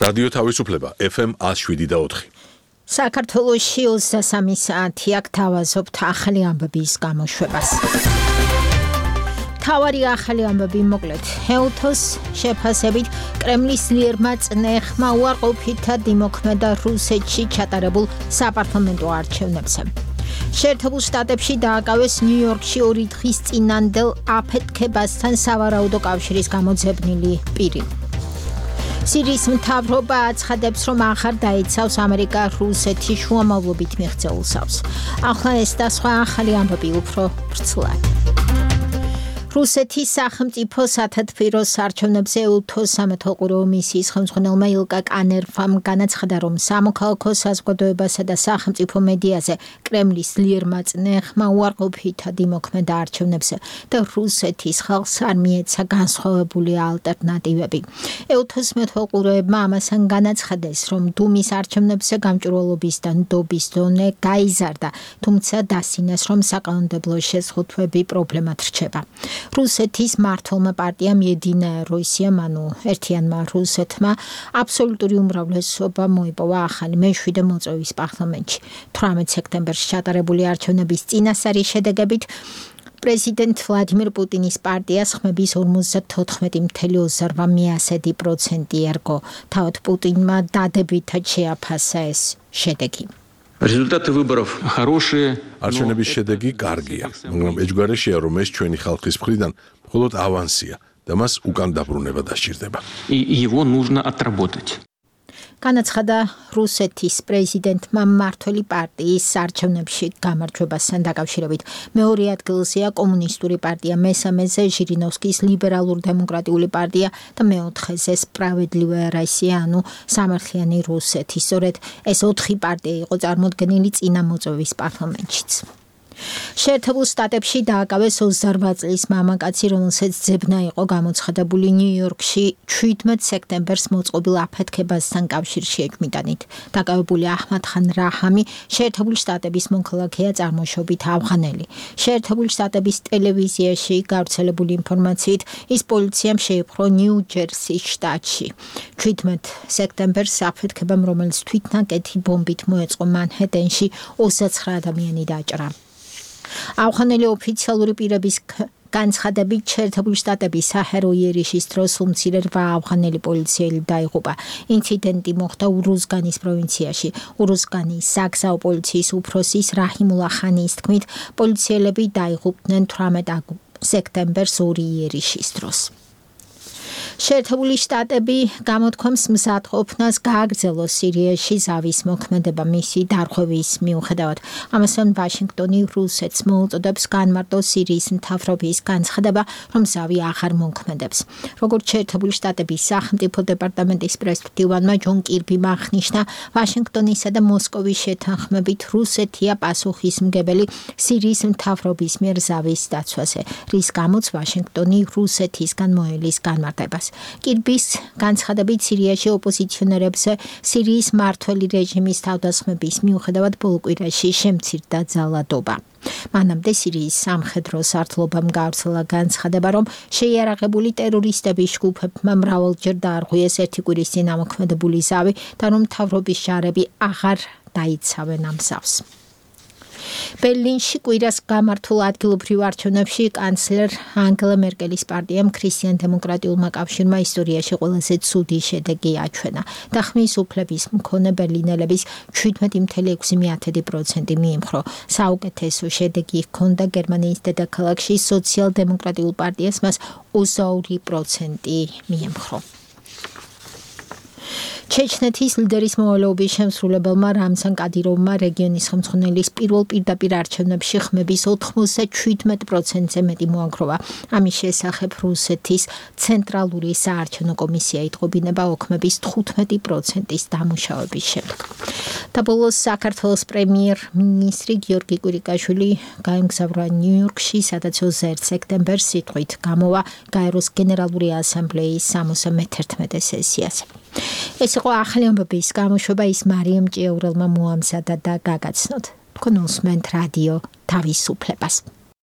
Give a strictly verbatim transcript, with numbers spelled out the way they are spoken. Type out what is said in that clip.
რადიო თავისუფლება ეფ ემ one oh seven და four. საქართველოში ოცდასამი საათი აქ თავაზობთ ახალი ამბების გამოშვებას. თავარი ახალი ამბები მოკლედ. ეუთოს შეფასებით კრემლის ძლიერმა წნეხმა უარყოფითად იმოქმედა რუსეთში ჩატარებულ საპარლამენტო არჩევნებზე. შეერთებულ შტატებში დააკავეს ნიუ-იორკში ორი დღის წინანდელ აფეთქებასთან სავარაუდო კავშირის გამოძებნილი პირი. სირიის მთავრობა აცხადებს, რომ ახარ დაიცავს ამერიკა რუსეთის შუამავლობით მიღწეულ სავს. ახლა ეს და სხვა ახალი ამბები უფრო ვრცლად. რუსეთის სახელმწიფო სათათბიროს არჩევნებზე ეუთოს სამეთვალყურეო მისიის ხელმძღვანელმა ილკა კანერვამ განაცხადა, რომ სამოქალაქო საზოგადოებასა და სახელმწიფო მედიაზე კრემლის ძლიერმა წნეხმა უარყოფითად იმოქმედა არჩევნებზე და რუსეთის ხალხს არ მიეცა განსხვავებული ალტერნატივები. ეუთოს მეთვალყურეებმა ამასთან განაცხადეს, რომ დუმის არჩევნებზე გამჭვირვალობის და ნდობის დონე გაიზარდა, თუმცა დასინეს, რომ საკანონმდებლო შეზღუდვები პრობლემად რჩება. რუსეთის მმართველმა პარტიამ Единая Россия, ანუ ერთიანმა რუსეთმა აბსოლუტური უმრავლესობა მოიპოვა ახალი მეშვიდე მოწვევის პარლამენტში. თვრამეტ სექტემბერში ჩატარებული არჩევნების წინასწარი შედეგებით პრეზიდენტ ვლადიმირ პუტინის პარტიას ხმების ორმოცდათოთხმეტი წუთი ოცდაოთხ პროცენტი ერგო. თავად პუტინმა დადებითად შეაფასა ეს შედეგი. Результаты выборов хорошие. არჩევნების შედეგი კარგია, მაგრამ ეჯგარეშია, რომ ეს ჩვენი ხალხის მხრიდან მხოლოდ ავანსია და მას უკან დაბრუნება დასჭირდება. И его нужно отработать. განაცხადა რუსეთის პრეზიდენტმა მმართველი პარტიის არჩევნებში გამარჯვებასთან დაკავშირებით. მეორე ადგილზეა კომუნისტური პარტია, მესამეზე ჟირინოვსკის ლიბერალურ-დემოკრატიული პარტია და მეოთხეზე სპრავედლივая Россия, ანუ სამართლიანი რუსეთი. სწორედ ეს ოთხი პარტია იყო წარმოდგენილი წინა მოწვევის პარლამენტშიც. შეერთებულ შტატებში დააკავეს ოცდაორ წლის მამაკაცი, რომელსაც ძებნა იყო გამოცხადებული ნიუ-იორკში შვიდმეტ სექტემბერს მოწყობილ აფეთქებასთან კავშირში ეჭვმიტანით. დაკავებული აჰმად ხან რაჰამი შეერთებული შტატების მოქალაქეა, წარმოშობით ავღანელი. შეერთებული შტატების ტელევიზიაში გავრცელებული ინფორმაციით ის პოლიციამ შეიპყრო ნიუ-ჯერსის შტატში. შვიდმეტ სექტემბერს აფეთქებამ, რომელიც თვითნაკეთი ბომბით მოეწყო მანჰეტენში, ოცდაცხრა ადამიანი დაჭრა. ავღანელი ოფიციალური პირების განცხადებით შეერთებული შტატების საჰერო იერიშის დროს უმცირე რვა ავღანელი პოლიციელი დაიღუპა. ინციდენტი მოხდა ურუზგანის პროვინციაში. ურუზგანის საგზაო პოლიციის უფროსის რაჰიმულა ხანის თქმით, პოლიციელები დაიღუპნენ თვრამეტ სექტემბერს ორი იერიშის დროს. შეერთებული შტატები გამოთქვამს მზადყოფნას გააგრძელოს სირიაში ზავის მოქმედება მისი დარღვევის მიუხედავად. ამასთან ვაშინგტონი რუსეთს მოუწოდებს განმარტოს სირიის მთავრობის განცხადება, რომ ზავი აღარ მოქმედებს. როგორც შეერთებული შტატების სახელმწიფო დეპარტამენტის პრესვიტივანმა ჯონ კირბიმ აღნიშნა, ვაშინგტონისა და მოსკოვის შეთანხმებით რუსეთია პასუხისმგებელი სირიის მთავრობის მიერ ზავის დაცვაზე, რის გამოც ვაშინგტონი რუსეთისგან მოელის განმარტებას. კირბის განცხადებით სირიაში ოპოზიციონერებზე სირიის მმართველი რეჟიმის თავდასხმების მიუხედავად ბოლო კვირაში შემცირდა ძალადობა. მანამდე სირიის სამხედრო სარდლობამ გავრცელა განცხადება, რომ შეიარაღებული ტერორისტების ჯგუფებმა მრავალჯერ დაარღვიეს ერთი კვირის წინ ამოქმედებული ზავი და რომ მთავრობის ჯარები აღარ დაიცავენ ამ ზავს. ბერლინში კვირას გამართულ ადგილობრივ არჩევნებში კანცლერ ანგელა მერკელის პარტიამ ქრისტიან-დემოკრატიულმა კავშირმა ისტორიაში ყველაზე ცუდი შედეგი აჩვენა და ხმის უფლების მქონე ბერლინელების შვიდმეტი წუთი ექვსი პროცენტი მიიმხრო. საუკეთესო შედეგი ჰქონდა გერმანიის დედაქალაქში სოციალ-დემოკრატიულ პარტიას, მას ოცდაორი პროცენტი მიემხრო. ჩეჩნეთის ლიდერის მოვალეობის შემსრულებელმა რამზან კადიროვმა რეგიონის ხელმძღვანელის პირველ პირდაპირ არჩევნებში ხმების ოთხმოცდაშვიდ პროცენტზე მეტი მოაგროვა. ამის შესახებ რუსეთის ცენტრალური საარჩევნო კომისია იტყობინება ოქმების თხუთმეტი პროცენტის დამუშავების შემდეგ. და ბოლოს საქართველოს პრემიერ-მინისტრი გიორგი კვირიკაშვილი გაემგზავრა ნიუ-იორკში, სადაც ოცდაერთი სექტემბერს სიტყვით გამოვა გაეროს გენერალური ასამბლეის სამოცდამეთერთმეტე სესიაზე. ეს იყო ახალი ამბების გამოშვება, ის მარიამ ჭიაურელმა მოამზადა და გაგაცნოთ. თქვენ უსმენთ რადიო თავისუფლებას.